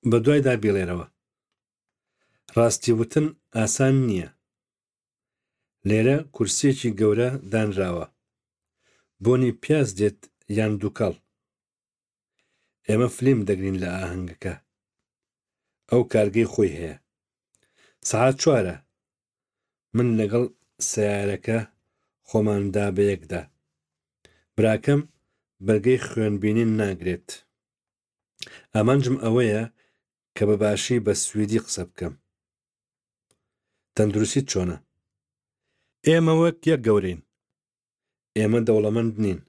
بەدوایدا بیڵێرەوە. ڕاستی وتن ئاسان نییە. لێرە کورسییەکی گەورە دانراوە. بۆنی پیاز دێت یان دووکەڵ؟ ئێمە فلیم دەگرین لە ئاهەنگەکە. ئەو کارگەی خۆی هەیە. سەعات چوارە. من لەگەڵ سەیارەکە خۆمان دا بەیەکدا. براکەم بەرگەی خوێنبینین ناگرێت. ئامانجم ئەوەیە کە بە باشی بە سویدی قسە بکەم. تەندروستیت چۆنە؟ ئێمە وەک یەک گەورەین. ئێمە دەوڵەمەند نین.